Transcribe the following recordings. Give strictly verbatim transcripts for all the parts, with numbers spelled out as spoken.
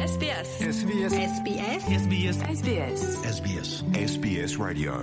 S B S. S B S. S B S. S B S. S B S. S B S. S B S Radio.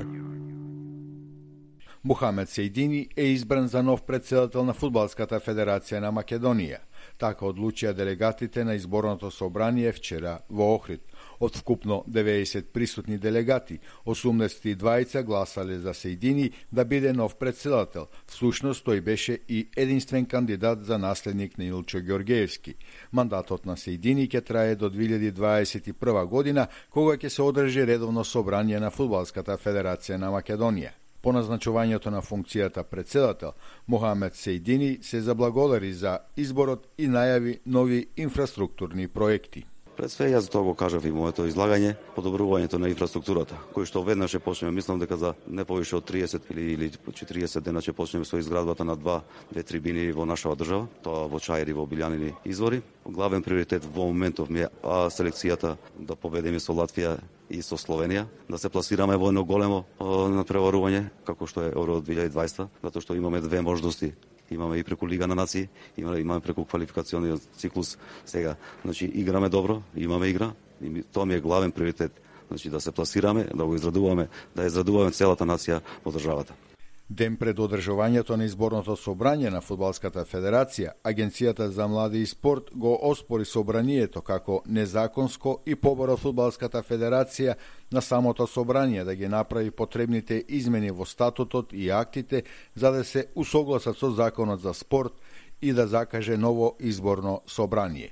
Мухамед Сејдини е избран за нов председател на Фудбалската федерација на Македонија. Така одлучија делегатите на изборното собрание вчера во Охрид. Од вкупно деветдесет присутни делегати, осумдесет и дваица гласале за Сејдини да биде нов председател. Всушност тој беше и единствен кандидат за наследник на Илчо Ѓоргеевски. Мандатот на Сејдини ќе трае до две илјади дваесет и прва година, кога ќе се одржи редовно собрание на Фудбалската федерација на Македонија. По назначувањето на функцијата председател, Мухамед Сејдини се заблагодари за изборот и најави нови инфраструктурни проекти. Пред све, јас тоа го кажав и моето излагање, подобрувањето на инфраструктурата, кој што веднаш ќе почнеме, мислам дека за не повише од триесет или, или четириесет дена ќе почнеме со изградбата на два, две трибини во нашава држава, тоа во Чаир и во Билјанини извори. Главен приоритет во моментов ми е а, селекцијата да победиме со Латвија и со Словенија, да се пласираме во едно големо надпреварување, како што е Евро две илјади дваесета, затоа што имаме две можности. Имаме и преку Лига на нации, имаме, имаме преку квалификационниот циклус. Сега, значи, играме добро, имаме игра, и тоа ми е главен приоритет. Значи, да се пласираме, да го израдуваме, да израдуваме целата нација во државата. Ден пред одржувањето на изборното собрање на Фудбалската федерација, Агенцијата за млади и спорт го оспори собранието како незаконско и побара Фудбалската федерација на самото собрање да ги направи потребните измени во статутот и актите за да се усогласат со законот за спорт и да закаже ново изборно собрание.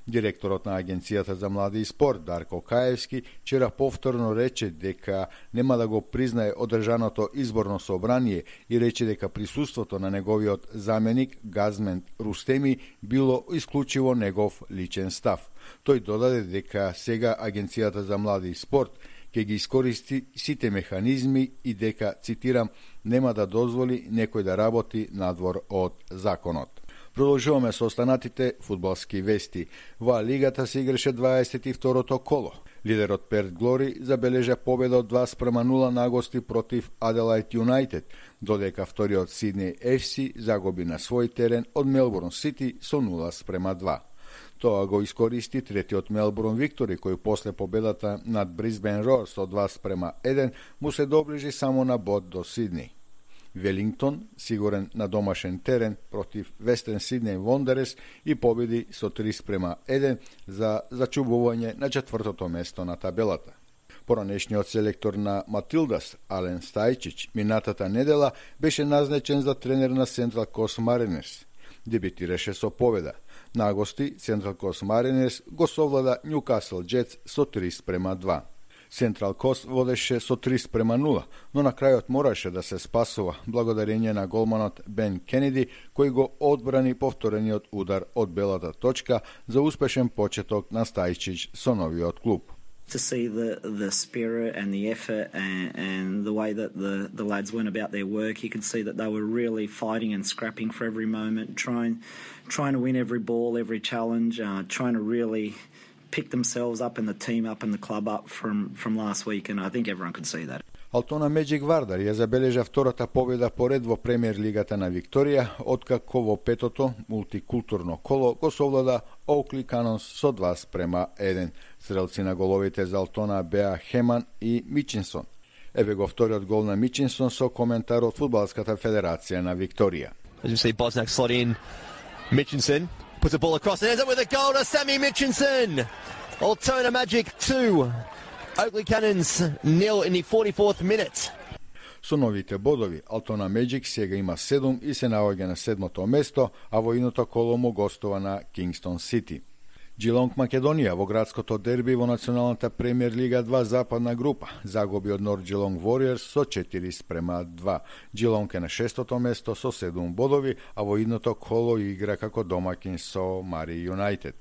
Директорот на Агенцијата за млади и спорт Дарко Каевски вчера повторно рече дека нема да го признае одржаното изборно собрание и рече дека присуството на неговиот заменик Газмент Рустеми било исклучиво негов личен став. Тој додаде дека сега Агенцијата за млади и спорт ќе ги искористи сите механизми и дека, цитирам, нема да дозволи некој да работи надвор од законот. Продолжуваме со останатите фудбалски вести. Во Лигата се играше дваесет и второто коло. Лидерот Перт Глори забележа победа од два спрема нула на гости против Аделајд Юнајтед, додека вториот Сиднеј еф си загуби на свој терен од Мелбурн Сити со нула спрема два. Тоа го искористи третиот Мелбурн Виктори, кој после победата над Брисбен Роар со два спрема еден му се доближи само на бод до Сиднеј. Велингтон, сигурен на домашен терен против Вестерн Сиднеј Вондерес и победи со три спрема еден за зачубување на четвртото место на табелата. Поранешниот селектор на Матилдас, Ален Стајчич, минатата недела беше назначен за тренер на Централ Кост Маринерс. Дебитираше со победа. На гости Централ Кост Маринерс го совлада Нјукасл Джетс со три спрема два. Централ Кост водеше со три спрема нула, но на крајот мораше да се спасува благодарење на голманот Бен Кенеди, кој го одбрани повторениот удар од белата точка за успешен почеток на Стајчич со новиот клуб. To see the, the spirit and the effort and, and the way that the, the lads went about their work, you could see that they were really fighting and scrapping for every moment, trying trying to win every ball, every challenge, uh, trying to really pick themselves up and the team up and the club up from, from last week, and I think everyone could see that. Алтона Меджик Вардар ја забележа втората победа поред во премиер лигата на Викторија, откако во петото мултикултурно коло го совлада Оукли Канонс со два спрема еден. Стрелци на головите за Алтона беа Хеман и Мичинсон. Еве го вториот гол на Мичинсон со коментар од Фудбалската федерација на Викторија. As you see Bosnack slot in, Mitchinson puts the ball across and ends up with a goal to Sammy Mitchinson. Altona Magic two. Oakley Cannons nil in the forty-fourth minute. Со новите бодови, Алтона Меджик сега има седум и се наоѓа на седмото место, а во иното коло му гостува на Кингстон Сити. Джилонг Македонија во градското дерби во Националната премиер лига два западна група загуби од Норд Джилонг Вориерс со четири спрема два. Джилонг е на шестото место со седум бодови, а во идното коло игра како домакин со Мари Юнајтед.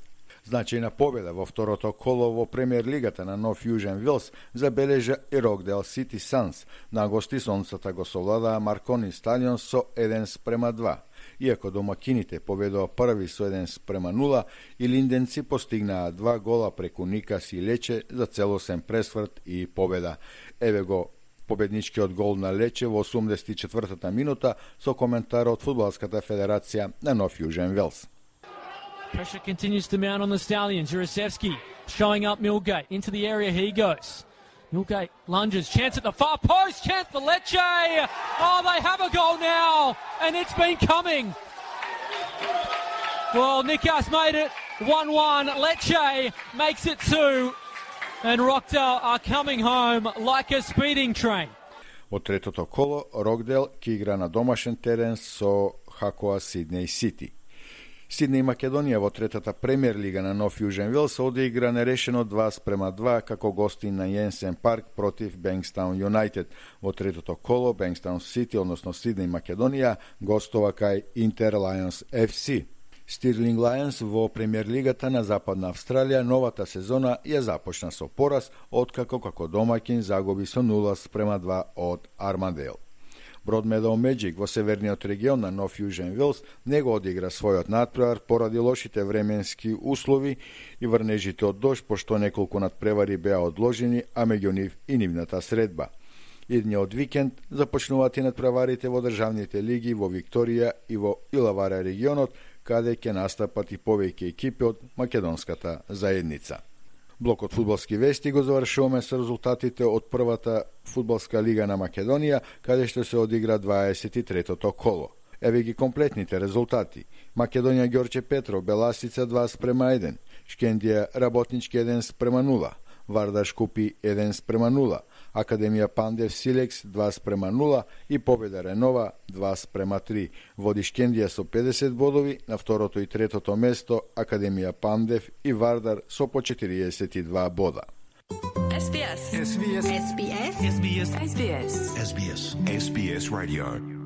Значајна победа во второто коло во премиер лигата на Нов Јужен Вилс забележа и Рокдейл Сити Санс. На гости сонцата го совладаа Маркони Стадион со еден спрема два. Иако домакините победува први со еден спрема нула, и линденци постигнаа два гола преку Никас и Лече за целосен пресврт и победа. Еве го победничкиот гол на Лече во осумдесет и четвртата минута со коментар од Фудбалската федерација на Нов Јужен Велс. Pressure continues to mount on the Stallions. Jurasevski showing up Millgate. Into the area he goes. Millgate lunges, chance at the far post, chance for Lecce. Oh, they have a goal now, and it's been coming. Well, Nikas made it one one. Lecce makes it two, and Rockdale are coming home like a speeding train. Во третото коло, Рокдел ќе игра на домашен терен со Хакоа Сиднеј Сити. Сиднеј Македонија во третата премиер лига на Нов Јужен Велс одигра нерешено два спрема два како гостин на Јенсен парк против Бенкстаун Юнайтед. Во третото коло Бенкстаун Сити, односно Сиднеј Македонија, гостова кај Интер Лајонс еф си. Стирлинг Лајонс во премиер лигата на Западна Австралија новата сезона ја започна со пораз, откако како домаќин загуби со нула спрема два од Армандейл. Broadmeadow Magic во северниот регион на Нов Јужен Велс не го одигра својот натпревар поради лошите временски услови и врнежите од дожд, пошто неколку надпревари беа одложени, а меѓу нив и нивната средба. Идниот викенд започнуваат и надпреварите во државните лиги во Викторија и во Илавара регионот, каде ќе настапат и повеќе екипи од македонската заедница. Блокот фудбалски вести го завршуваме со резултатите од првата фудбалска лига на Македонија, каде што се одигра дваесет и третото коло. Еве ги комплетните резултати. Македонија Ѓорче Петров, Беласица два спрема еден, Шкендија Работнички еден спрема нула, Вардар Шкупи еден спрема нула, Академија Пандев Силекс два спрема нула и Победа Ренова два спрема три. Води Шкендија со педесет бодови, на второто и третото место Академија Пандев и Вардар со по четириесет и два бода. S B S. S B S. S B S. S B S. S B S. S B S Radio.